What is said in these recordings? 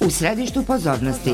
U središtu pozornosti.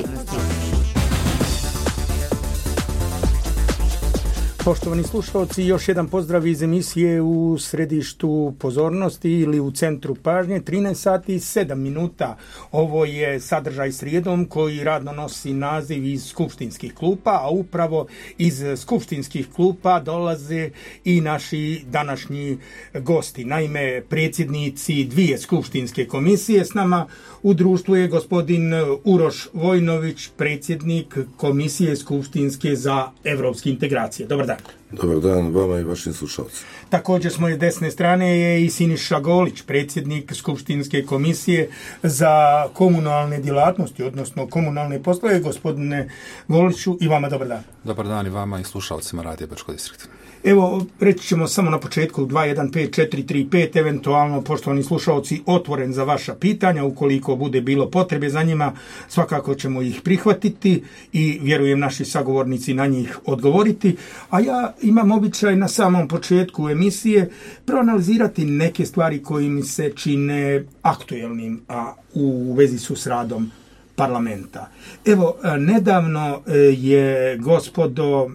Poštovani slušalci, još jedan pozdrav iz emisije U središtu pozornosti ili u centru pažnje, 13 sati i 7 minuta. Ovo je sadržaj srijedom koji radno nosi naziv iz skupštinskih klupa, a upravo iz skupštinskih klupa dolaze i naši današnji gosti. Naime, predsjednici dvije skupštinske komisije s nama u društvu je gospodin Uroš Vojnović, predsjednik Komisije skupštinske za evropske integracije. Dobar dan. Dobar dan vama i vašim slušalcima. Također s moje desne strane je i Siniša Golić, predsjednik Skupštinske komisije za komunalne djelatnosti, odnosno komunalne poslove. Gospodine Goliću, i vama dobar dan. Dobar dan i vama i slušalcima Radija Brčko distrikta. Evo, reći ćemo samo na početku 215-435, eventualno, poštovani slušalci, otvoren za vaša pitanja, ukoliko bude bilo potrebe za njima, svakako ćemo ih prihvatiti i vjerujem naši sagovornici na njih odgovoriti. A ja imam običaj na samom početku emisije proanalizirati neke stvari koje mi se čine aktuelnim, a u vezi su s radom parlamenta. Evo, nedavno je, gospodo,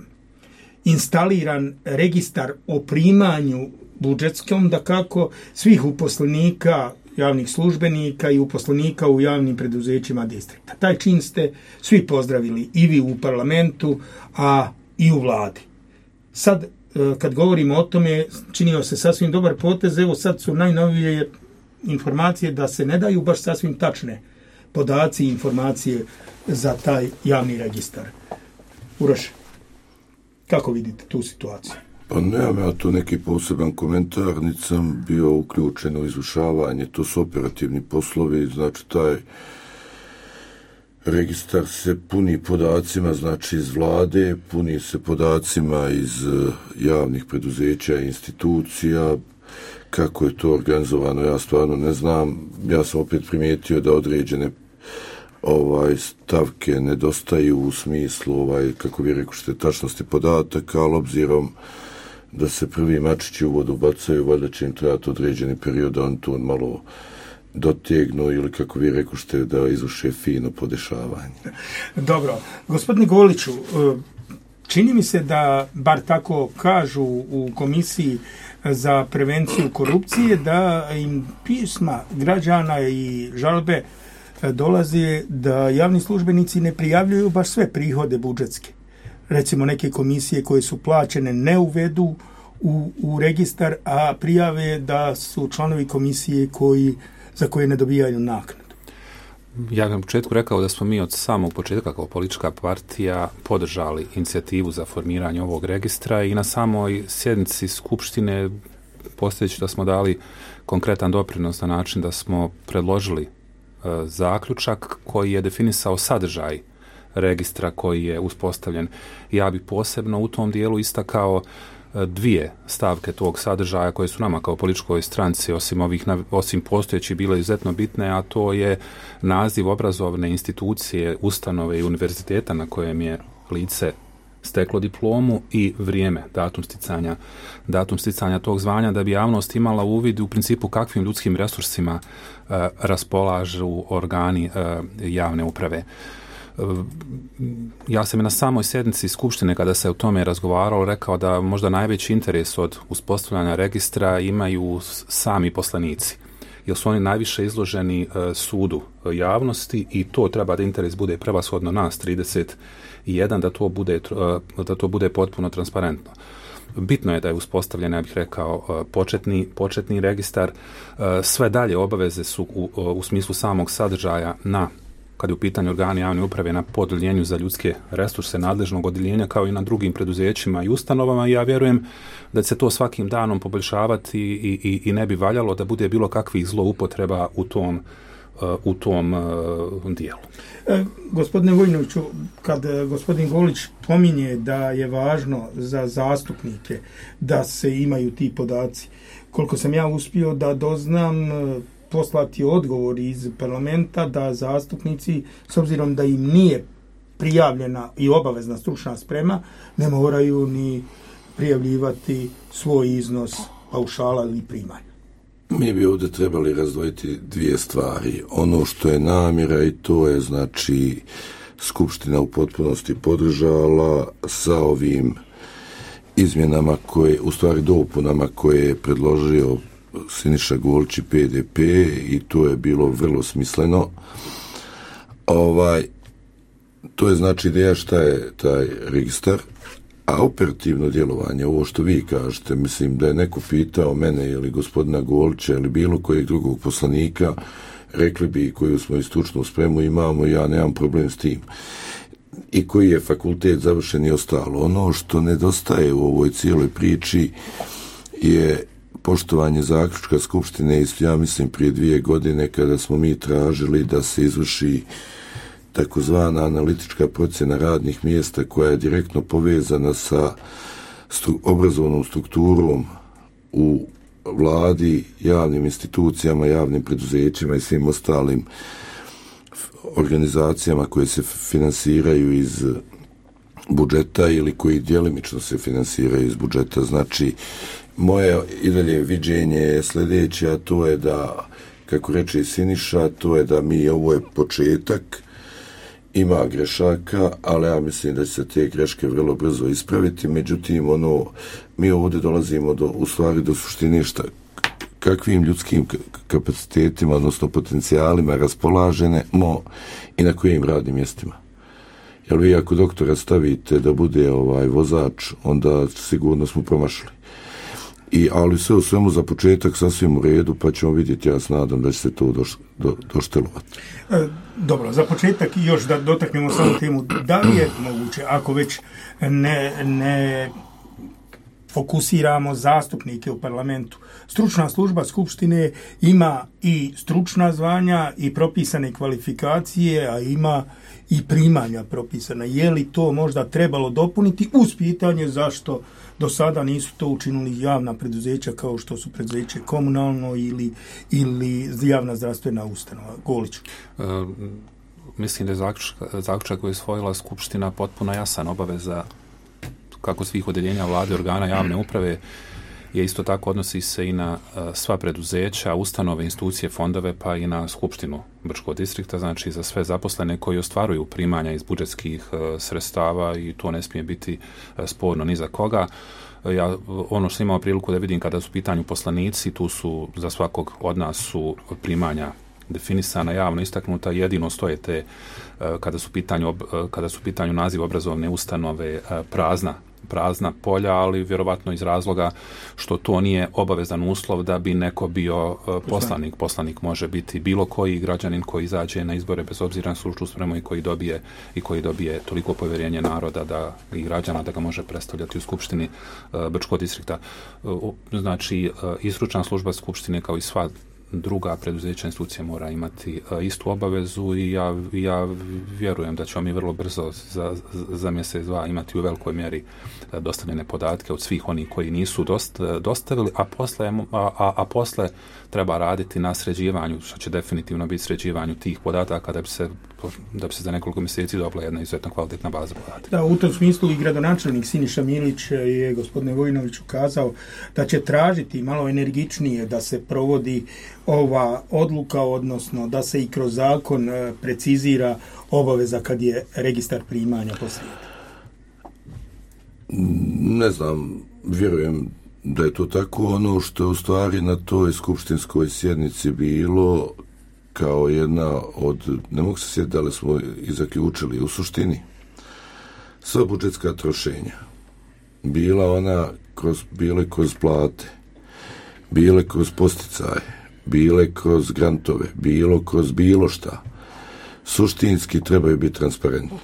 instaliran registar o primanju budžetskom, da kako svih uposlenika, javnih službenika i uposlenika u javnim preduzećima distrikta. Taj čin ste svi pozdravili, i vi u parlamentu, a i u vladi. Sad, kad govorimo o tome, činio se sasvim dobar potez. Evo sad su najnovije informacije da se ne daju baš sasvim tačne podaci i informacije za taj javni registar. Uroš, kako vidite tu situaciju? Pa nemam ja tu neki poseban komentar, niti sam bio uključen u izvršavanje, to su operativni poslovi, znači taj registar se puni podacima, znači iz vlade, puni se podacima iz javnih preduzeća i institucija. Kako je to organizovano, ja stvarno ne znam. Ja sam opet primijetio da određene stavke nedostaju u smislu, kako vi rekošte, tačnosti podataka, ali obzirom da se prvi mačići u vodu bacaju, valjda će im trebati određeni period da on to malo dotegnu ili, kako vi rekošte, da izvrše fino podešavanje. Dobro. Gospodine Goliću, čini mi se da, bar tako kažu u Komisiji za prevenciju korupcije, da im pisma građana i žalbe dolazi da javni službenici ne prijavljuju baš sve prihode budžetske. Recimo, neke komisije koje su plaćene ne uvedu u registar, a prijave da su članovi komisije za koje ne dobijaju naknadu. Ja bih na početku rekao da smo mi od samog početka kao politička partija podržali inicijativu za formiranje ovog registra i na samoj sjednici Skupštine postojeći da smo dali konkretan doprinos na način da smo predložili zaključak koji je definisao sadržaj registra koji je uspostavljen. Ja bih posebno u tom dijelu istakao dvije stavke tog sadržaja koje su nama kao političkoj stranci osim postojećih bile izuzetno bitne, a to je naziv obrazovne institucije, ustanove i univerziteta na kojem je lice steklo diplomu i vrijeme, datum sticanja tog zvanja, da bi javnost imala uvid u principu kakvim ljudskim resursima raspolažu organi javne uprave. Ja sam i na samoj sjednici Skupštine, kada se o tome razgovaralo, rekao da možda najveći interes od uspostavljanja registra imaju sami poslanici, jer su oni najviše izloženi sudu javnosti i to treba da interes bude prevashodno nas 31, da to bude potpuno transparentno. Bitno je da je uspostavljen, ja bih rekao, početni registar. Sve dalje obaveze su u smislu samog sadržaja kad je u pitanju organi javne uprave na podeljenju za ljudske resurse nadležnog odjeljenja, kao i na drugim preduzećima i ustanovama, i ja vjerujem da će se to svakim danom poboljšavati i ne bi valjalo da bude bilo kakvih zloupotreba u tom dijelu. Gospodine Vojnoviću, kad gospodin Golić pominje da je važno za zastupnike da se imaju ti podaci, koliko sam ja uspio da doznam, poslati odgovor iz parlamenta da zastupnici, s obzirom da im nije prijavljena i obavezna stručna sprema, ne moraju ni prijavljivati svoj iznos paušala ili primanja. Mi bi ovdje trebali razdvojiti dvije stvari. Ono što je namjera i to je znači Skupština u potpunosti podržala sa ovim izmjenama koje, u stvari dopunama koje je predložio Siniša Golić i PDP i to je bilo vrlo smisleno. To je znači ideja šta je taj registar, a operativno djelovanje, ovo što vi kažete, mislim da je neko pitao mene ili gospodina Golića ili bilo kojeg drugog poslanika, rekli bi koju smo i stručnu spremu imamo, ja nemam problem s tim. I koji je fakultet završen i ostalo. Ono što nedostaje u ovoj cijeloj priči je poštovanje zaključka Skupštine, ja mislim prije 2 godine kada smo mi tražili da se izvrši takozvana analitička procjena radnih mjesta koja je direktno povezana sa obrazovnom strukturom u vladi, javnim institucijama, javnim preduzećima i svim ostalim organizacijama koje se finansiraju iz budžeta ili koji djelimično se finansiraju iz budžeta. Znači, moje i dalje viđenje je sljedeće, a to je da, kako reče Siniša, to je da ovo je početak, ima grešaka, ali ja mislim da će se te greške vrlo brzo ispraviti. Međutim, mi ovdje dolazimo u stvari do suštine kakvim ljudskim kapacitetima, odnosno potencijalima raspolažemo i na kojim radnim mjestima. Jer vi ako doktora stavite da bude vozač, onda sigurno smo promašili. Ali sve u svemu za početak sasvim u redu, pa ćemo vidjeti, ja se nadam da će se to doštelovati. Dobro, za početak još da dotaknemo samo temu, da li je moguće, ako već ne fokusiramo zastupnike u parlamentu. Stručna služba Skupštine ima i stručna zvanja i propisane kvalifikacije, a ima i primanja propisana. Je li to možda trebalo dopuniti uz pitanje zašto do sada nisu to učinili javna preduzeća kao što su preduzeće komunalno ili javna zdravstvena ustanova? Goliću. Mislim da je zaključak koji je usvojila Skupština potpuno jasan, obaveza kako svih odeljenja vlade, organa javne uprave je isto tako odnosi se i na sva preduzeća, ustanove, institucije, fondove, pa i na Skupštinu Brčkog distrikta, znači za sve zaposlene koji ostvaruju primanja iz budžetskih sredstava i to ne smije biti sporno ni za koga. Ja ono što imao priliku da vidim kada su u pitanju poslanici, tu su za svakog od nas su primanja definisana, javno istaknuta, jedino stoje te kada su u pitanju naziv obrazovne ustanove prazna polja, ali vjerovatno iz razloga što to nije obavezan uslov da bi neko bio poslanik. Poslanik može biti bilo koji građanin koji izađe na izbore bez obzira na stručnu spremu i koji dobije toliko povjerenje naroda i građana da ga može predstavljati u Skupštini Brčkog distrikta. Znači, i stručna služba Skupštine kao i sva druga preduzeća institucija mora imati istu obavezu i ja vjerujem da ćemo mi vrlo brzo za mjesec, dva imati u velikoj mjeri dostavljene podatke od svih onih koji nisu dostavili, a posle treba raditi na sređivanju, što će definitivno biti sređivanju tih podataka da bi se za nekoliko mjeseci dobila jedna izuzetno kvalitetna baza podataka. Da, u tom smislu i gradonačelnik Siniša Milić je gospodine Vojinoviću kazao da će tražiti malo energičnije da se provodi ova odluka, odnosno da se i kroz zakon precizira obaveza kad je registar primanja posrijedi. Ne znam, vjerujem da je to tako. Ono što je u stvari na toj skupštinskoj sjednici bilo kao jedna od, ne mogu se sjetiti da li smo i zaključili, u suštini sva budžetska trošenja bile kroz plate, bile kroz posticaje, bile kroz grantove, bilo kroz bilo šta, suštinski trebaju biti transparentni.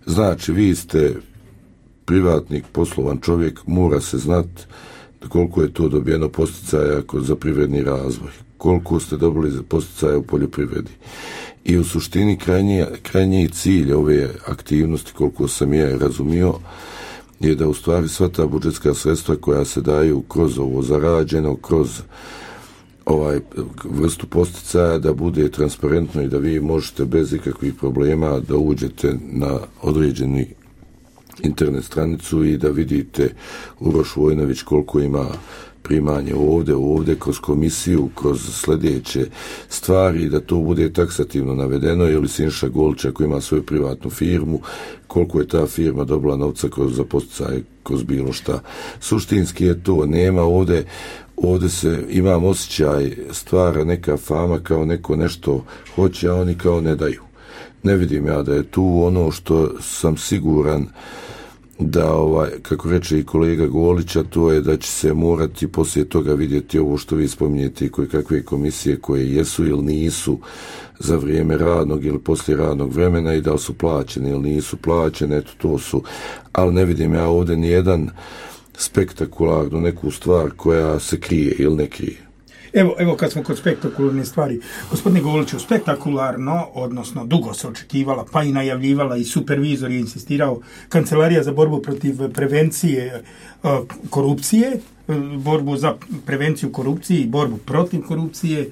Znači, vi ste privatnik, poslovan čovjek, mora se znati koliko je to dobijeno posticaja za privredni razvoj, koliko ste dobili za posticaja u poljoprivredi. I u suštini krajnji cilj ove aktivnosti, koliko sam ja razumio, je da u stvari sva ta budžetska sredstva koja se daju kroz ovo zarađeno, kroz vrstu posticaja, da bude transparentno i da vi možete bez ikakvih problema da uđete na određeni internet stranicu i da vidite Uroš Vojnović koliko ima primanje ovdje kroz komisiju, kroz sljedeće stvari, da to bude taksativno navedeno, ili Siniša Golić ako ima svoju privatnu firmu, koliko je ta firma dobila novca za poticaje, kroz bilo šta. Suštinski je to, nema ovdje se, imam osjećaj, stvara neka fama kao neko nešto hoće, a oni kao ne daju. Ne vidim ja da je tu ono što sam siguran da, kako reče i kolega Golića, to je da će se morati poslije toga vidjeti ovo što vi spominjete, koje kakve komisije koje jesu ili nisu za vrijeme radnog ili poslije radnog vremena i da li su plaćene ili nisu plaćene, eto to su, ali ne vidim ja ovdje nijedan spektakularnu neku stvar koja se krije ili ne krije. Evo kad smo kod spektakularne stvari, gospodine Goliću, spektakularno, odnosno dugo se očekivala, pa i najavljivala i supervizor je insistirao, Kancelarija za borbu protiv prevencije korupcije, borbu za prevenciju korupcije i borbu protiv korupcije,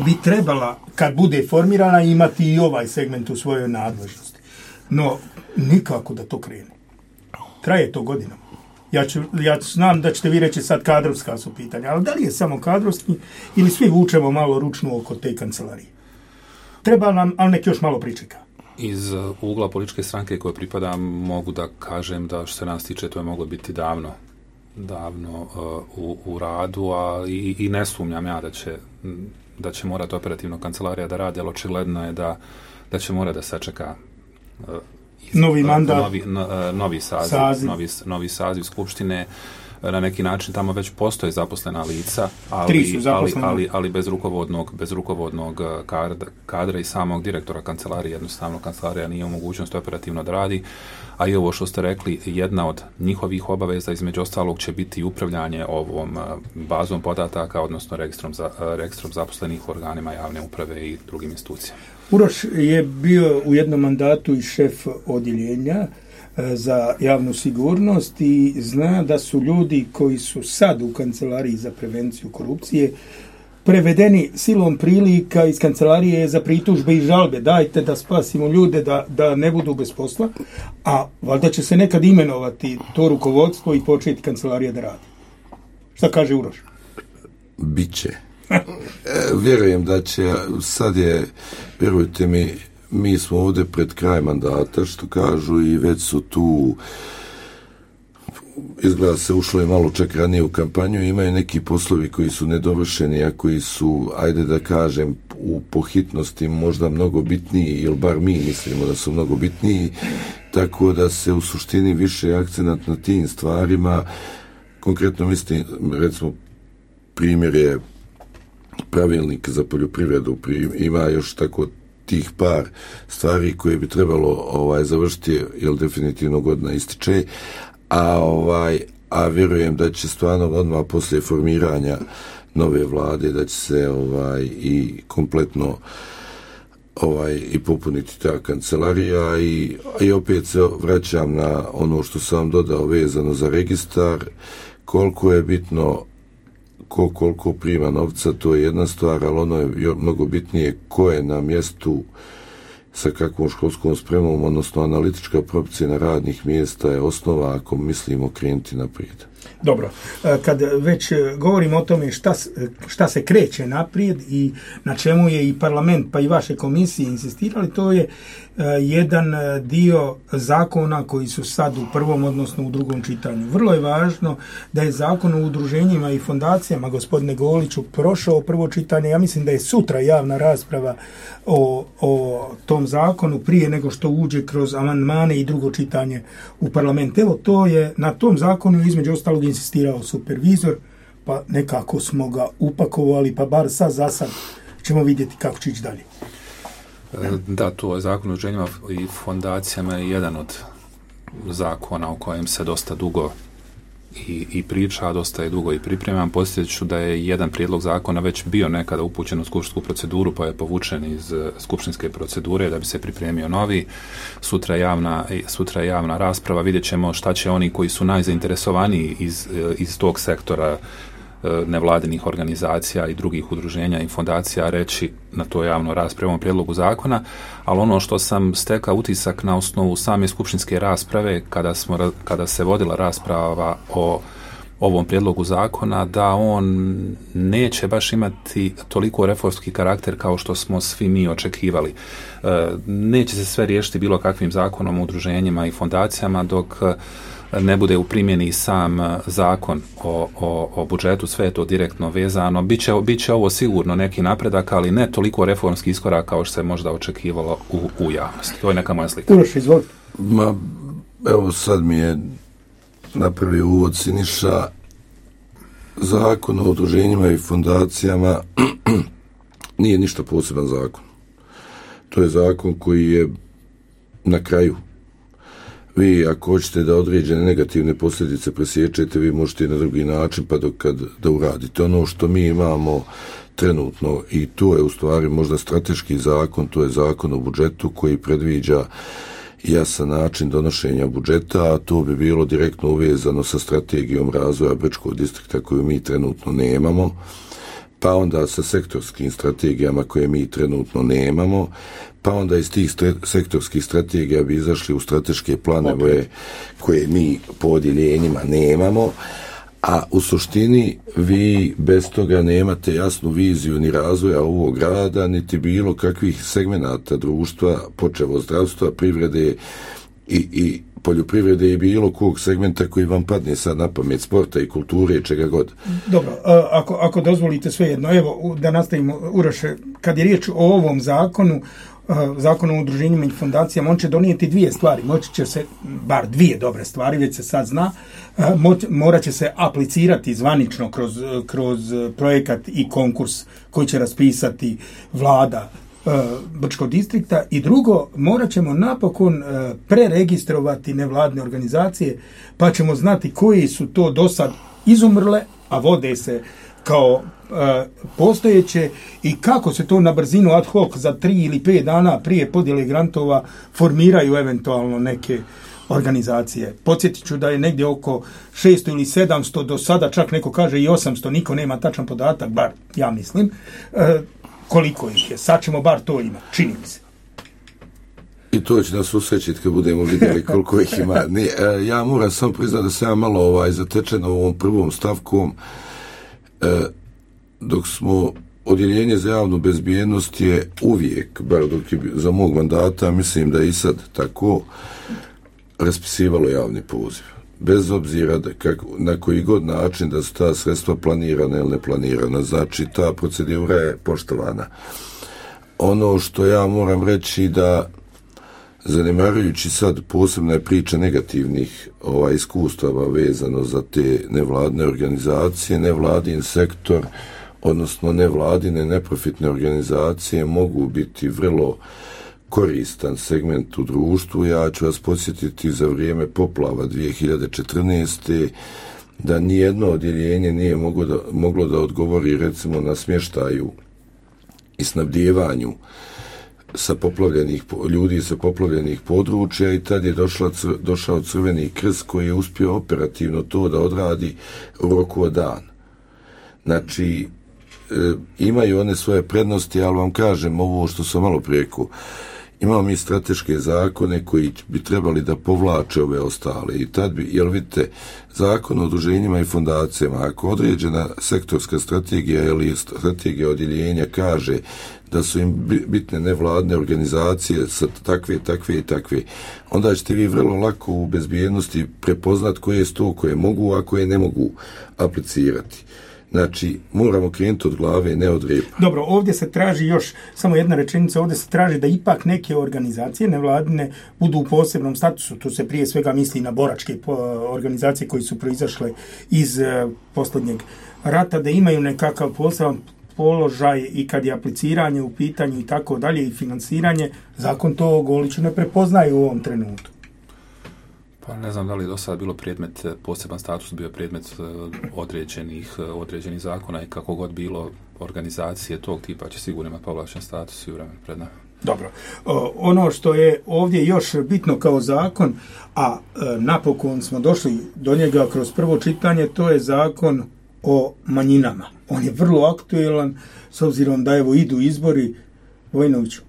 bi trebala, kad bude formirana, imati i ovaj segment u svojoj nadležnosti. No, nikako da to krene. Traje to godinama. Ja znam da ćete vi reći sad kadrovska su pitanja, ali da li je samo kadrovski ili svi vučemo malo ručnu oko te kancelarije? Treba nam, ali nek još malo pričeka. Iz ugla političke stranke koje pripadam mogu da kažem da što se nas tiče to je moglo biti davno u radu, a i ne sumnjam ja da će morati operativno kancelarija da radi, ali očigledno je da će morati da sačeka novi mandat, novi saziv skupštine. Na neki način tamo već postoje zaposlena lica, ali bez rukovodnog kadra i samog direktora kancelarije. Jednostavno kancelarija nije u mogućnosti operativno da radi, a i ovo što ste rekli, jedna od njihovih obaveza između ostalog će biti upravljanje ovom bazom podataka, odnosno registrom zaposlenih u organima javne uprave i drugim institucijama. Uroš je bio u jednom mandatu i šef odjeljenja za javnu sigurnost i zna da su ljudi koji su sad u Kancelariji za prevenciju korupcije prevedeni silom prilika iz Kancelarije za pritužbe i žalbe. Dajte da spasimo ljude da ne budu bez posla, a valjda će se nekad imenovati to rukovodstvo i početi Kancelarija da radi. Šta kaže Uroš? Biće. Vjerujem da će, sad je, vjerujte mi smo ovdje pred kraj mandata, što kažu, i već su tu, izgleda se ušlo je malo čak ranije u kampanju, imaju neki poslovi koji su nedovršeni, a koji su, ajde da kažem, po hitnosti možda mnogo bitniji, ili bar mi mislimo da su mnogo bitniji, tako da se u suštini više akcenat na tim stvarima, konkretno mislim, recimo, primjer je pravilnik za poljoprivredu, ima još tako tih par stvari koje bi trebalo završiti, jer definitivno godina ističe, a vjerujem da će stvarno odmah poslije formiranja nove vlade da će se i kompletno i popuniti ta kancelarija i opet se vraćam na ono što sam dodao vezano za registar, koliko je bitno koliko prima novca, to je jedna stvar, ali ono je mnogo bitnije ko je na mjestu, sa kakvom školskom spremom, odnosno analitička procjena radnih mjesta je osnova ako mislimo krenuti naprijed. Dobro, kad već govorimo o tome šta se kreće naprijed i na čemu je i parlament pa i vaše komisije insistirali, to je jedan dio zakona koji su sad u prvom, odnosno u drugom čitanju. Vrlo je važno da je zakon o udruženjima i fondacijama, gospodine Goliću, prošao prvo čitanje. Ja mislim da je sutra javna rasprava o tom zakonu prije nego što uđe kroz amandmane i drugo čitanje u parlament. Evo, to je na tom zakonu između ostalog insistirao supervizor, pa nekako smo ga upakovali, pa bar sad za sad ćemo vidjeti kako će ići dalje. Da, to je zakon o udruženjima i fondacijama je jedan od zakona o kojem se dosta dugo i priča, dosta je dugo i pripremam. Podsjetit ću da je jedan prijedlog zakona već bio nekada upućen u skupštinsku proceduru, pa je povučen iz skupštinske procedure da bi se pripremio novi. Sutra je javna rasprava, vidjet ćemo šta će oni koji su najzainteresovaniji iz tog sektora nevladinih organizacija i drugih udruženja i fondacija reći na to javno raspravu ovom prijedlogu zakona, ali ono što sam stekao utisak na osnovu same skupštinske rasprave kada se vodila rasprava o ovom prijedlogu zakona, da on neće baš imati toliko reformski karakter kao što smo svi mi očekivali. Neće se sve riješiti bilo kakvim zakonom o udruženjima i fondacijama dok ne bude u primjeni sam zakon o budžetu, sve je to direktno vezano. Biće ovo sigurno neki napredak, ali ne toliko reformski iskorak kao što se možda očekivalo u javnosti. To je neka moja slika. Uroš, izvolite. Evo sad mi je napravio uvod Siniša. Zakon o udruženjima i fondacijama nije ništa poseban zakon. To je zakon koji je na kraju. Vi ako hoćete da određene negativne posljedice presječete, vi možete i na drugi način pa da uradite. Ono što mi imamo trenutno, i to je u stvari možda strateški zakon, to je zakon o budžetu koji predviđa jasan način donošenja budžeta, a to bi bilo direktno uvezano sa strategijom razvoja Brčkog distrikta koju mi trenutno nemamo, pa onda sa sektorskim strategijama koje mi trenutno nemamo, pa onda iz tih sektorskih strategija bi izašli u strateške planove koje mi po odjeljenjima nemamo, a u suštini vi bez toga nemate jasnu viziju ni razvoja ovog grada, niti bilo kakvih segmenata društva, počevo zdravstva, privrede i poljoprivrede i bilo kog segmenta koji vam padne sad na pamet, sporta i kulture i čega god. Dobro, ako dozvolite svejedno, evo da nastavimo, Uroše, kad je riječ o ovom zakonu, Zakon o udruženjima i fondacijama, on će donijeti dvije stvari. Moći će se, bar dvije dobre stvari, već se sad zna, morat će se aplicirati zvanično kroz projekat i konkurs koji će raspisati vlada Brčkog distrikta, i drugo, morat ćemo napokon preregistrovati nevladine organizacije, pa ćemo znati koji su to do sad izumrle, a vode se kao postojeće, i kako se to na brzinu ad hoc za 3 ili 5 dana prije podjele grantova formiraju eventualno neke organizacije. Podsjetit ću da je negdje oko 600 ili 700, do sada čak neko kaže i 800, niko nema tačan podatak, bar ja mislim, koliko ih je. Sad ćemo bar to imati, čini mi se. I to će nas usrećiti kad budemo vidjeli koliko ih ima. Ja moram samo priznati da sam ja malo zatečen ovom prvom stavkom. Dok smo odjeljenje za javnu bezbjednost je uvijek, bar dok je za mog mandata, mislim da i sad tako, raspisivalo javni poziv. Bez obzira na koji god način da su ta sredstva planirana ili neplanirana. Znači, ta procedura je poštovana. Ono što ja moram reći da, zanemarujući sad posebne priče negativnih iskustava vezano za te nevladine organizacije, nevladin sektor, odnosno nevladine neprofitne organizacije mogu biti vrlo koristan segment u društvu. Ja ću vas podsjetiti za vrijeme poplava 2014. da nijedno odjeljenje nije moglo da odgovori recimo na smještaju i snabdijevanju ljudi sa poplavljenih područja, i tad je došao Crveni krst koji je uspio operativno to da odradi u roku od dan. Znači, imaju one svoje prednosti, ali vam kažem ovo što sam malo prije rekao. Imamo mi strateške zakone koji bi trebali da povlače ove ostale, i tad bi, jer vidite, zakon o udruženjima i fondacijama, ako određena sektorska strategija ili strategija odjeljenja kaže da su im bitne nevladne organizacije sa takve, onda ćete vi vrlo lako u bezbjednosti prepoznat koje su to koje mogu, a koje ne mogu aplicirati. Znači, moramo krenuti od glave, ne od repa. Dobro, ovdje se traži još, samo jedna rečenica, ovdje se traži da ipak neke organizacije nevladine budu u posebnom statusu. Tu se prije svega misli na boračke organizacije koji su proizašle iz posljednjeg rata, da imaju nekakav poseban položaj i kad je apliciranje u pitanju i tako dalje i financiranje. Zakon to Goliću ne prepoznaje u ovom trenutku. Pa ne znam da li je do sada bilo predmet, poseban status bio predmet određenih zakona, i kako god bilo, organizacije tog tipa će sigurno imati povlašten status i u vremenu pred nama. Dobro. Ono što je ovdje još bitno kao zakon, a napokon smo došli do njega kroz prvo čitanje, to je zakon o manjinama. On je vrlo aktuelan s obzirom da evo idu izbori. Vojnoviću.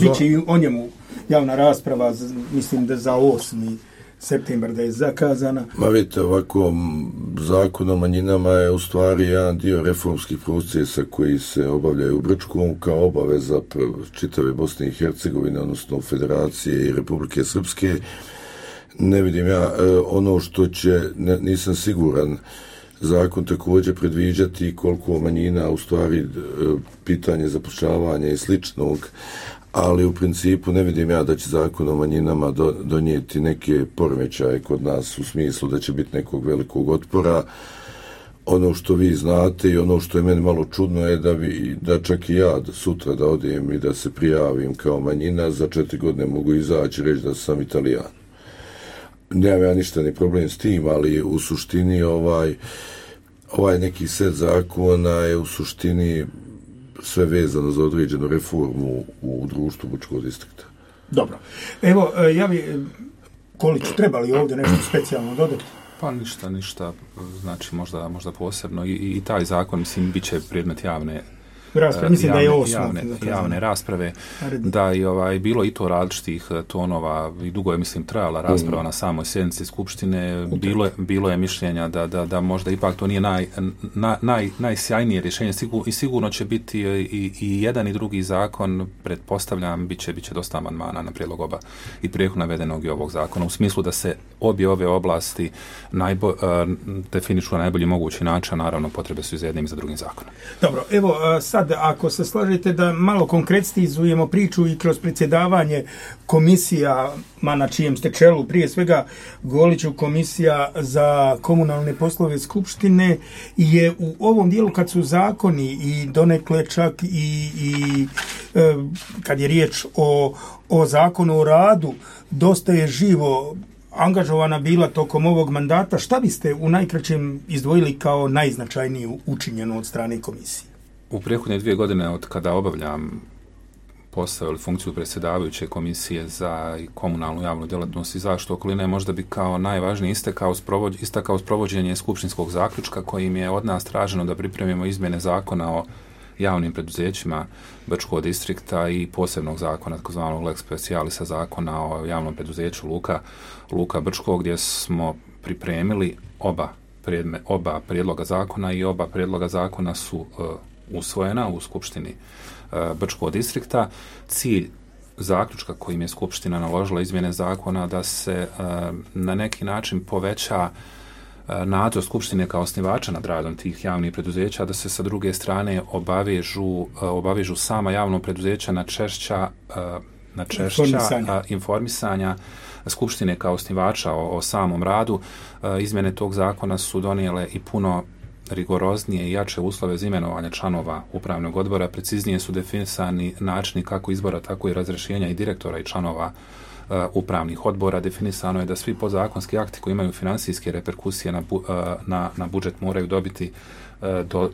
Biće i o njemu javna rasprava, mislim da za 8. septembar da je zakazana. Ma vidite, ovako zakon o manjinama je u stvari jedan dio reformskih procesa koji se obavljaju u Brčkom kao obaveza čitave Bosne i Hercegovine, odnosno Federacije i Republike Srpske. Ne vidim ja ono što će, nisam siguran, zakon također predviđati koliko manjina, u stvari pitanje zapošljavanja i sličnog, ali u principu ne vidim ja da će zakon o manjinama donijeti neke poremećaje kod nas u smislu da će biti nekog velikog otpora. Ono što vi znate i ono što je meni malo čudno je da čak i ja sutra da odem i da se prijavim kao manjina, za 4 godine mogu izaći i reći da sam Italijan. Nemam ja ništa ni problem s tim, ali u suštini ovaj neki set zakona je u suštini sve vezano za određenu reformu u društvu Brčkog distrikta. Dobro. Evo, ja bi, Kolić, treba li ovdje nešto specijalno dodati? Pa ništa, znači možda posebno i taj zakon, mislim, bit će predmet javne rasprave, da je bilo i to različitih tonova i dugo je, mislim, trajala rasprava na samoj sjednici Skupštine. Bilo je mišljenja da možda ipak to nije najsjajnije rješenje i sigurno će biti i jedan i drugi zakon, pretpostavljam, bit će dosta amandmana na prijedlog oba i prethodno navedenog i ovog zakona, u smislu da se obje ove oblasti definišu na najbolji mogući način, naravno potrebe su i za jednim i za drugim zakonom. Dobro, evo sad ako se slažete da malo konkretizujemo priču i kroz predsjedavanje komisijama na čijem ste čelu, prije svega Goliću, komisija za komunalne poslove Skupštine je u ovom dijelu kad su zakoni i donekle čak i kad je riječ o zakonu o radu, dosta je živo angažovana bila tokom ovog mandata. Šta biste u najkraćem izdvojili kao najznačajnije učinjeno od strane komisije? U prethodne 2 godine od kada obavljam posao ili funkciju predsjedavajuće komisije za komunalnu javnu djelatnost i zaštitu okoline, možda bi kao najvažnije istakao sprovođenje skupštinskog zaključka kojim je od nas traženo da pripremimo izmjene zakona o javnim preduzećima Brčkog distrikta i posebnog zakona, takozvanog lex specialisa, zakona o javnom preduzeću Luka Brčkog, gdje smo pripremili oba prijedloga zakona i oba prijedloga zakona su usvojena u Skupštini Brčkog distrikta. Cilj zaključka kojim je Skupština naložila izmjene zakona da se na neki način poveća nadzor Skupštine kao osnivača nad radom tih javnih preduzeća, da se sa druge strane obavežu sama javno preduzeća na češća informisanja Skupštine kao osnivača o samom radu. Izmjene tog zakona su donijele i puno rigoroznije i jače uslove za imenovanje članova upravnog odbora. Preciznije su definisani načini kako izbora, tako i razrješenja i direktora i članova upravnih odbora. Definisano je da svi podzakonski akti koji imaju financijske reperkusije na budžet moraju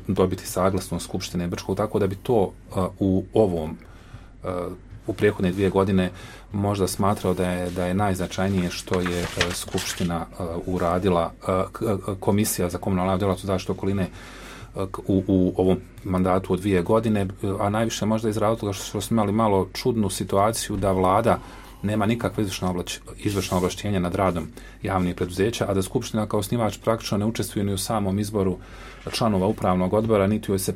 dobiti saglasnost Skupštine Brčkog, tako da bi to u prethodne 2 godine možda smatrao da je najznačajnije što je Skupština uradila, Komisija za komunalnu djelatnost zaštitu okoline u ovom mandatu od 2 godine, a najviše možda iz razloga što smo imali malo čudnu situaciju da vlada nema nikakve izvršna ovlaštenja nad radom javnih preduzeća, a da Skupština kao osnivač praktično ne učestvuje ni u samom izboru članova upravnog odbora, niti joj se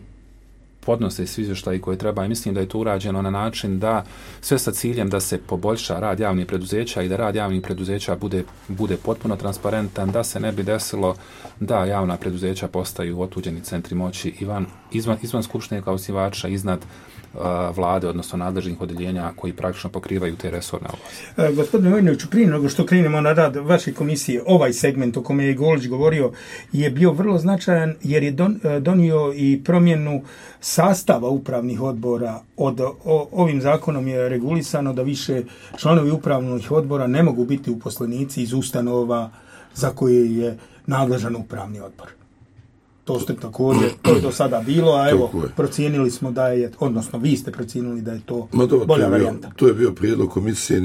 podnose svi izvještaji koje treba, i mislim da je to urađeno na način da sve sa ciljem da se poboljša rad javnih preduzeća i da rad javnih preduzeća bude potpuno transparentan, da se ne bi desilo da javna preduzeća postaju otuđeni centri moći izvan Skupštine kao osnivača, iznad vlade, odnosno nadležnih odjeljenja koji praktično pokrivaju te resorne oblasti. Gospodine Vojinoviću, prije nego što krenemo na rad vaše komisije, ovaj segment o kome je Golić govorio je bio vrlo značajan jer je donio i promjenu sastava upravnih odbora. Ovim zakonom je regulisano da više članovi upravnih odbora ne mogu biti uposlenici iz ustanova za koje je nadležan upravni odbor. To ste također, to je do sada bilo, a evo, procijenili smo da je, odnosno vi ste procijenili da je to bolja varijanta. To je bio prijedlog komisije,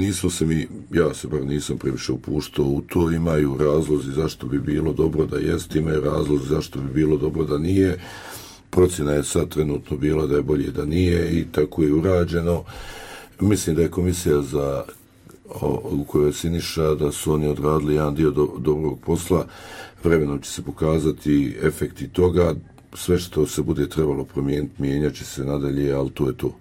ja se bar nisam previše upuštao u to, imaju razlozi zašto bi bilo dobro da jest, imaju razlozi zašto bi bilo dobro da nije. Procjena je sad trenutno bila da je bolje da nije i tako je urađeno. Mislim da je komisija za u kojoj je Siniša, da su oni odradili jedan dio dobrog posla. Vremenom će se pokazati efekti toga. Sve što se bude trebalo promijeniti, mijenjat će se nadalje, ali to je to.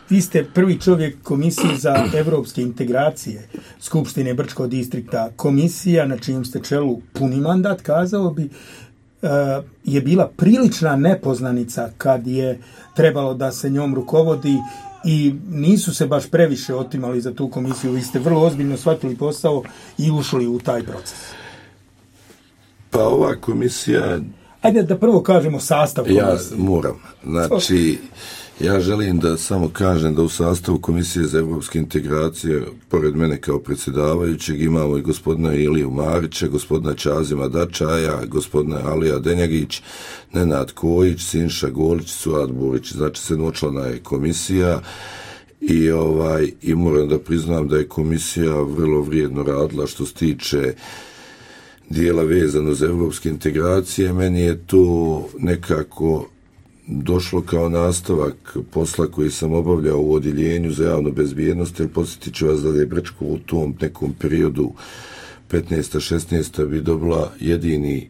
Vi ste prvi čovjek Komisije za evropske integracije Skupštine Brčkog distrikta. Komisija na čijem ste čelu puni mandat, kazao bi, je bila prilična nepoznanica kad je trebalo da se njom rukovodi i nisu se baš previše otimali za tu komisiju. Vi ste vrlo ozbiljno shvatili posao i ušli u taj proces. Pa ova komisija... Ajde da prvo kažemo sastav komisije. Ja moram. Znači, ja želim da samo kažem da u sastavu Komisije za evropske integracije, pored mene kao predsjedavajućeg, imamo i gospodina Iliju Marića, gospodina Čazima Dačaja, gospodina Alija Denjagić, Nenad Kojić, Sinša Golić, Suad Burić. Znači, 7-člana je komisija i moram da priznam da je komisija vrlo vrijedno radila što se tiče dijela vezano za evropske integracije. Meni je to nekako došlo kao nastavak posla koji sam obavljao u odjeljenju za javnu bezbjednost, jer podsjetit ću vas da je Brčko u tom nekom periodu 15-16 bi dobila jedini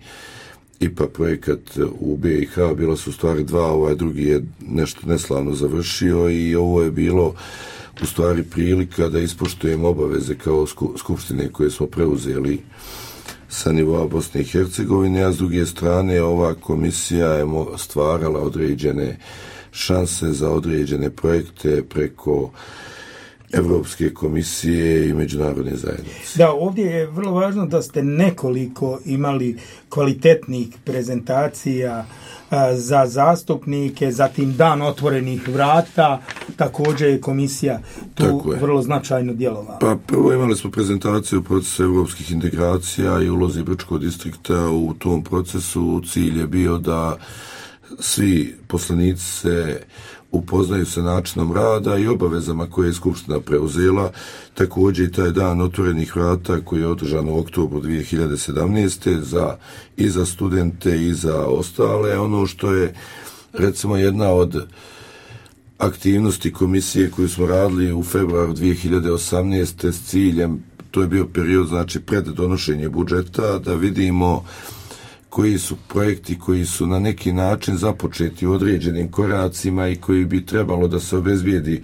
IPA projekat u BiH, bila su u stvari dva, ovaj drugi je nešto neslavno završio i ovo je bilo u stvari prilika da ispoštujemo obaveze kao skupštine koje smo preuzeli sa nivoa Bosne i Hercegovine, a s druge strane ova komisija je stvarala određene šanse za određene projekte preko Evropske komisije i međunarodne zajednice. Da, ovdje je vrlo važno da ste nekoliko imali kvalitetnih prezentacija za zastupnike, zatim dan otvorenih vrata, također je komisija tu vrlo značajno djelovala. Pa prvo imali smo prezentaciju procesa evropskih integracija i ulozi Brčkog distrikta u tom procesu. Cilj je bio da svi poslanici se upoznaju sa načinom rada i obavezama koje je Skupština preuzela. Također i taj dan otvorenih vrata koji je održan u oktobru 2017. i za studente i za ostale. Ono što je recimo jedna od aktivnosti komisije koju smo radili u februaru 2018. s ciljem, to je bio period znači pred donošenje budžeta, da vidimo koji su projekti koji su na neki način započeti u određenim koracima i koji bi trebalo da se obezbijedi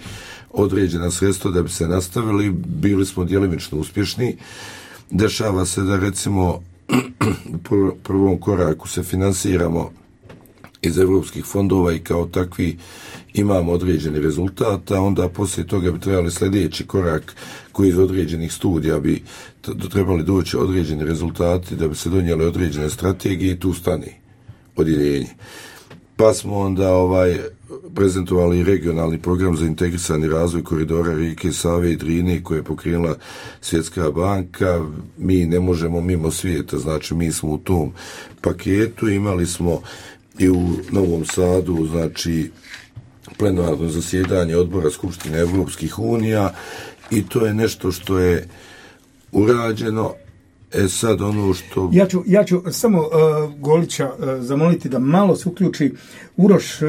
određena sredstva da bi se nastavili. Bili smo djelimično uspješni. Dešava se da recimo u prvom koraku se finansiramo iz evropskih fondova i kao takvi imamo određeni rezultata, onda poslije toga bi trebali sljedeći korak koji iz određenih studija bi trebali doći određeni rezultati da bi se donijeli određene strategije i tu stani odjeljenje. Pa smo onda prezentovali regionalni program za integrisani razvoj koridora rijeke Save i Drine koje je pokrenula Svjetska banka. Mi ne možemo mimo svijeta, znači mi smo u tom paketu. Imali smo i u Novom Sadu, znači plenarno zasjedanje odbora Skupštine Evropskih unija i to je nešto što je urađeno. Sad ono što... Ja ću samo Golića zamoliti da malo se uključi. Uroš,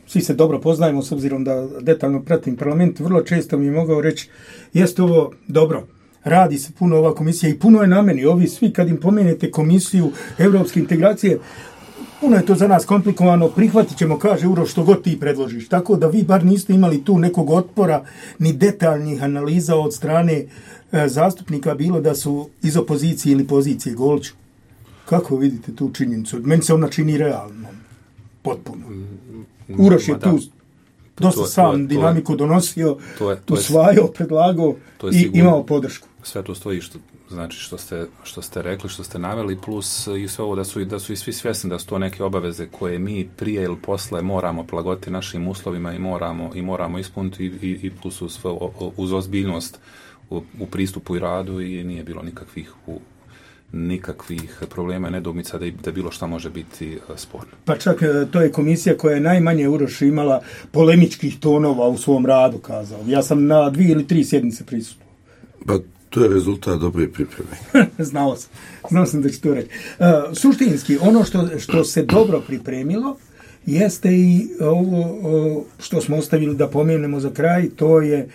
svi se dobro poznajemo s obzirom da detaljno pratim parlament, vrlo često mi je mogao reći jeste ovo dobro, radi se puno ova komisija i puno je na meni. Ovi svi kad im pomenete komisiju evropske integracije, puno je to za nas komplikovano, prihvatit ćemo, kaže Uroš, što god ti predložiš. Tako da vi bar niste imali tu nekog otpora ni detaljnih analiza od strane zastupnika, bilo da su iz opozicije ili pozicije. Goliću, kako vidite tu činjenicu? Meni se ona čini realno, potpuno. Uroš je tu dosta sam dinamiku donosio, usvajao, predlagao i imao podršku. Sve to stoji što ste rekli, što ste naveli, plus i sve ovo da su i svi svjesni da su to neke obaveze koje mi prije ili posle moramo prilagoditi našim uslovima i moramo ispuniti i plus uz ozbiljnost u pristupu i radu i nije bilo nikakvih problema i nedoumica da bilo šta može biti sporno. Pa čak to je komisija koja je najmanje Uroš imala polemičkih tonova u svom radu, kazao. Ja sam na 2 ili 3 sjednice prisutvovao. Pa to je rezultat dobre pripreme. Znao sam da će to reći. Suštinski, ono što se dobro pripremilo jeste i ovo što smo ostavili da pomenemo za kraj, to je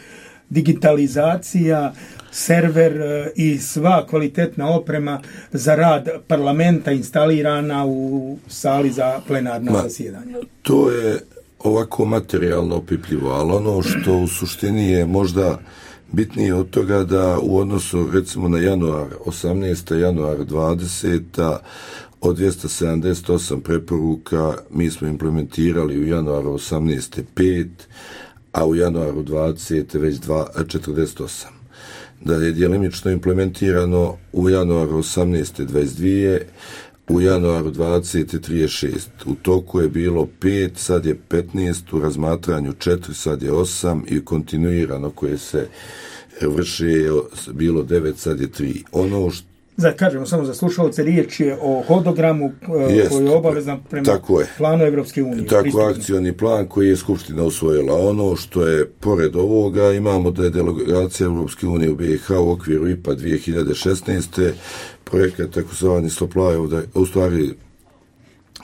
digitalizacija, server i sva kvalitetna oprema za rad parlamenta instalirana u sali za plenarna zasjedanja? To je ovako materijalno opipljivo, ali ono što u suštini je možda bitnije od toga da u odnosu recimo na januar 18. januar 20. od 278 preporuka mi smo implementirali u januaru 18. 5, a u januaru 20. već 48. Da je djelimično implementirano u januaru 18. 22, u januaru 20. 36. U toku je bilo 5, sad je 15, u razmatranju 4, sad je 8 i kontinuirano koje se vrše je bilo 9, sad je 3. Ono što kažemo samo za slušalce, riječ je o hodogramu koji je obavezan prema planu Evropske unije. Tako, akcioni plan koji je Skupština usvojila. Ono što je pored ovoga, imamo da je delegacija Evropske unije u BiH u okviru IPA 2016. projekat takozvani Stoplajev, u stvari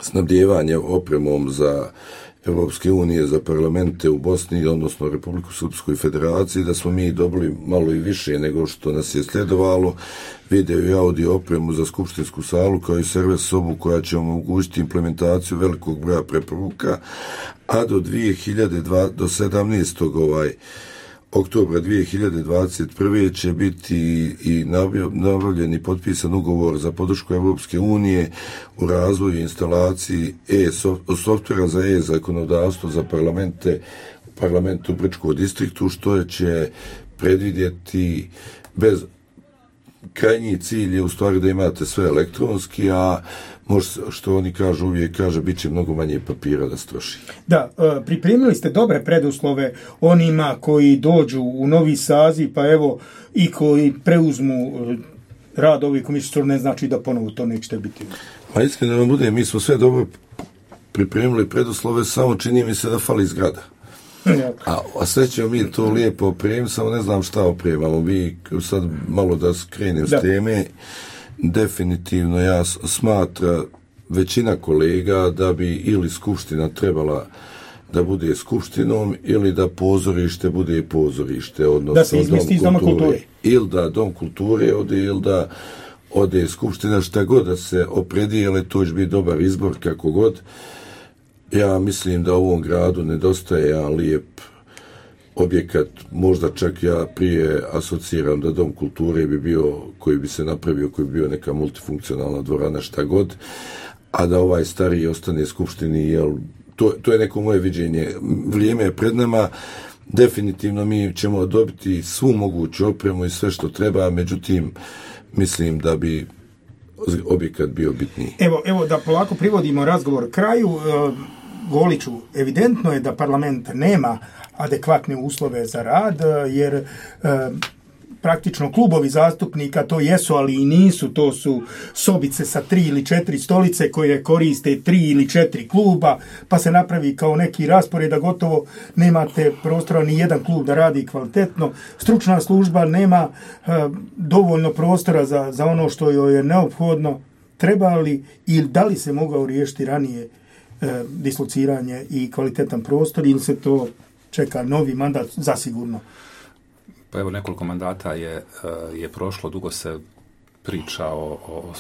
snabdijevanje opremom za Evropske unije za parlamente u Bosni, odnosno Republiku Srpsku i Federaciji, da smo mi dobili malo i više nego što nas je sledovalo, video i audio opremu za skupštinsku salu kao i server sobu koja će omogućiti implementaciju velikog broja preporuka, a do 17. oktobra 2021. će biti i nabavljen i potpisan ugovor za podršku Evropske unije u razvoju i instalaciji softvera za zakonodavstvo za parlamentu u Brčkom distriktu, što će predvidjeti bez krajnji cilj je u stvari da imate sve elektronski, a što oni kažu, uvijek kaže, bit će mnogo manje papira da se troši. Da, pripremili ste dobre preduslove onima koji dođu u novi saziv, pa evo i koji preuzmu rad ovih komisija, što ne znači da ponovo to nećete biti. Pa iskreno da vam bude, mi smo sve dobro pripremili preduslove, samo čini mi se da fali zgrada. A sve ćemo mi to lijepo opremiti, samo ne znam šta opremamo. Vi sad malo da skrenem s teme, definitivno ja smatra većina kolega da bi ili skupština trebala da bude skupštinom ili da pozorište bude pozorište, odnosno da se izmesti iz Doma kulture. Ili da Dom kulture ode, ili da ode skupština, šta god da se opredijele, to će biti dobar izbor kako god. Ja mislim da u ovom gradu nedostaje jedan lijep objekat, možda čak ja prije asociram da Dom kulture bi bio, koji bi se napravio, koji bi bio neka multifunkcionalna dvorana, šta god, a da ovaj stariji ostane skupštini, jer to je neko moje viđenje. Vrijeme je pred nama, definitivno mi ćemo dobiti svu moguću opremu i sve što treba, međutim, mislim da bi objekat bio bitniji. Evo da polako privodimo razgovor kraju. Goliću, evidentno je da parlament nema adekvatne uslove za rad, jer praktično klubovi zastupnika to jesu, ali i nisu, to su sobice sa 3 ili 4 stolice koje koriste 3 ili 4 kluba, pa se napravi kao neki raspored da gotovo nemate prostora ni jedan klub da radi kvalitetno. Stručna služba nema dovoljno prostora za ono što joj je neophodno. Treba li ili da li se mogao riješiti ranije dislociranje i kvalitetan prostor, ili se to čeka novi mandat zasigurno? Pa evo, nekoliko mandata je prošlo, dugo se priča o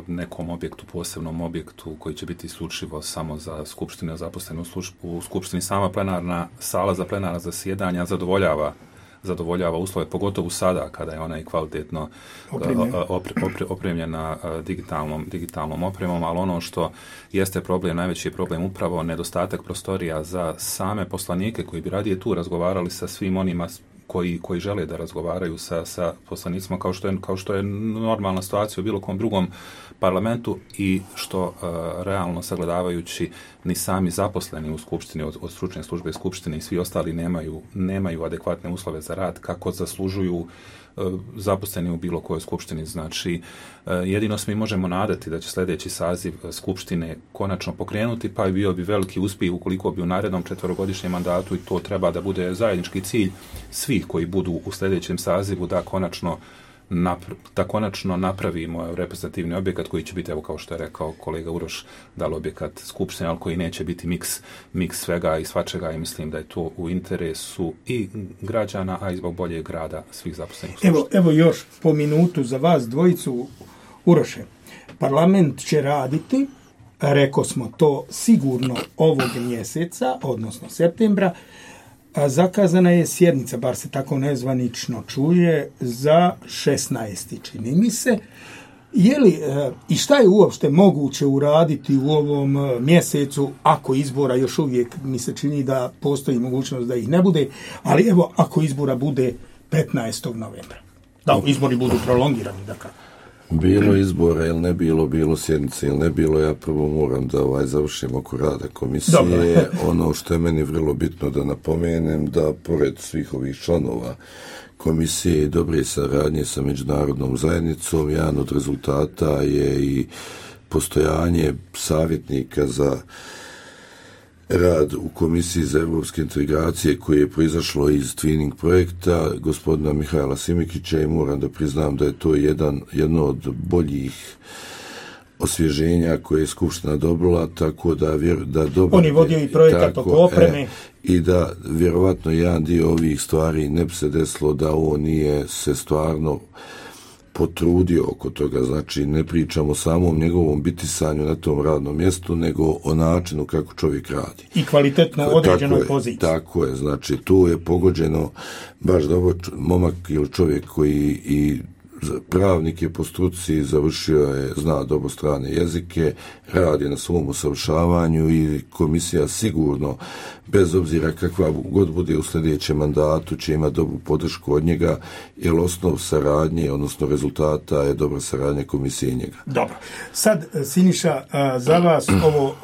nekom objektu, posebnom objektu koji će biti isključivo samo za skupštine, zaposlene u skupštini. Sama plenarna sala za plenarna zasjedanja zadovoljava uslove, pogotovo sada kada je ona i kvalitetno opremljena digitalnom opremom, ali ono što jeste problem, najveći je problem upravo nedostatak prostorija za same poslanike koji bi radije tu razgovarali sa svim onima koji žele da razgovaraju sa poslanicima, kao što je normalna situacija u bilo kom drugom parlamentu, i što realno sagledavajući ni sami zaposleni u skupštini od stručne službe skupštine i svi ostali nemaju adekvatne uslove za rad kako zaslužuju zaposleni u bilo kojoj skupštini. Znači, jedino se mi možemo nadati da će sljedeći saziv skupštine konačno pokrenuti, pa bio bi veliki uspjeh ukoliko bi u narednom 4-godišnjem mandatu, i to treba da bude zajednički cilj svih koji budu u sljedećem sazivu, da konačno da konačno napravimo reprezentativni objekat koji će biti, evo kao što je rekao kolega Uroš, da li objekat skupštine, ali koji neće biti miks svega i svačega, i mislim da je to u interesu i građana, a i zbog boljeg rada svih zaposlenih. Evo još po minutu za vas dvojicu. Uroše, parlament će raditi, rekao smo to sigurno ovog mjeseca, odnosno septembra. Zakazana je sjednica, bar se tako nezvanično čuje, za 16. čini mi se. Je li, i šta je uopšte moguće uraditi u ovom mjesecu, ako izbora još uvijek mi se čini da postoji mogućnost da ih ne bude, ali evo ako izbora bude 15. novembra. Da, izbori budu prolongirani, dakle. Bilo izbora ili ne bilo, bilo sjednice ili ne bilo, ja prvo moram da završim oko rada komisije. Dobre. Ono što je meni vrlo bitno da napomenem, da pored svih ovih članova komisije i dobre saradnje sa međunarodnom zajednicom, jedan od rezultata je i postojanje savjetnika za rad u Komisiji za evropske integracije koje je proizašlo iz Twinning projekta gospodina Mihajla Simikića, i moram da priznam da je to jedno od boljih osvježenja koje je Skupština dobila, tako da dobro... On je vodio i projekat oko opreme. I da vjerovatno jedan dio ovih stvari ne bi se desilo da on nije se stvarno potrudio oko toga. Znači, ne pričamo samo o njegovom bitisanju na tom radnom mjestu, nego o načinu kako čovjek radi. I kvalitetno određenoj poziciji. Tako je, znači, tu je pogođeno baš dobro momak ili čovjek koji i pravnik je po struci, završio je, zna dobro strane jezike, radi na svom usavršavanju i komisija sigurno, bez obzira kakva god bude u sljedećem mandatu, će imati dobru podršku od njega, jer osnov saradnje, odnosno rezultata je dobra saradnja komisije i njega. Dobro. Sad, Siniša, za vas ovo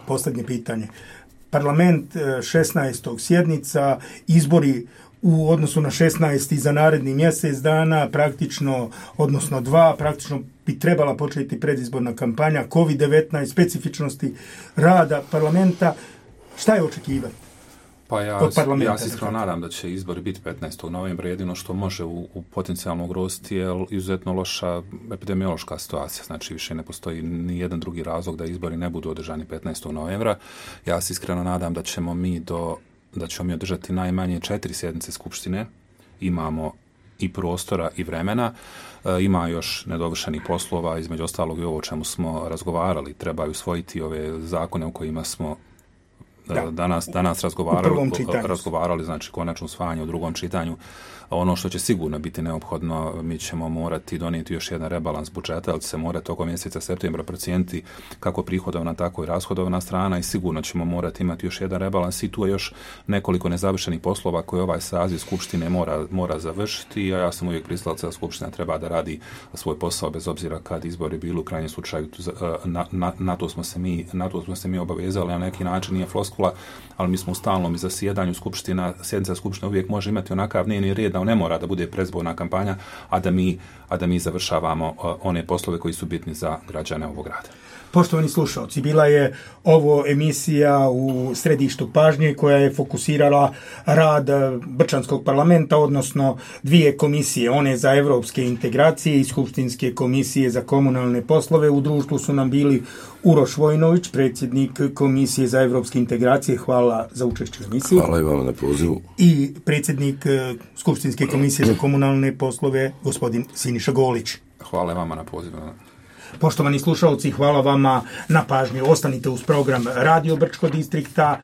posljednje pitanje. Parlament 16. sjednica, izbori u odnosu na 16. za naredni mjesec dana, praktično, odnosno 2, praktično bi trebala početi predizborna kampanja, COVID-19, specifičnosti rada parlamenta. Šta je očekivati? Pa ja se iskreno nadam da će izbori biti 15. novembra, jedino što može u potencijalno ugroziti je izuzetno loša epidemiološka situacija, znači više ne postoji ni jedan drugi razlog da izbori ne budu održani 15. novembra. Ja se iskreno nadam da ćemo mi održati najmanje 4 sjednice Skupštine, imamo i prostora i vremena, ima još nedovršenih poslova, između ostalog i ovo o čemu smo razgovarali, trebaju usvojiti ove zakone o kojima smo danas razgovarali, znači konačno usvajanje u drugom čitanju. Ono što će sigurno biti neophodno, mi ćemo morati donijeti još jedan rebalans budžeta, ali će se morati tokom mjeseca septembra procijeniti kako prihodovna, tako i rashodovna strana, i sigurno ćemo morati imati još jedan rebalans, i tu je još nekoliko nezavršenih poslova koje ovaj saziv Skupštine mora završiti, a ja sam uvijek pristalac da Skupština treba da radi svoj posao bez obzira kad izbori bili, u krajnjem slučaju na to smo se mi obavezali, na neki način nije floskula, ali mi smo u stalnom zasjedanju sjednica Skupštine uvijek može imati onakav dnevni red da ne mora da bude predizborna kampanja, a da mi završavamo one poslove koji su bitni za građane ovog grada. Poštovani slušalci, bila je ovo emisija u središtu pažnje koja je fokusirala rad Brčanskog parlamenta, odnosno 2 komisije, one za evropske integracije i Skupštinske komisije za komunalne poslove. U društvu su nam bili Uroš Vojnović, predsjednik Komisije za evropske integracije, hvala za učešće u emisiji. Hvala i vama na pozivu. I predsjednik Skupštinske komisije za komunalne poslove, gospodin Siniša Golić. Hvala vama na pozivu. Poštovani slušalci, hvala vama na pažnji. Ostanite uz program Radio Brčko distrikta.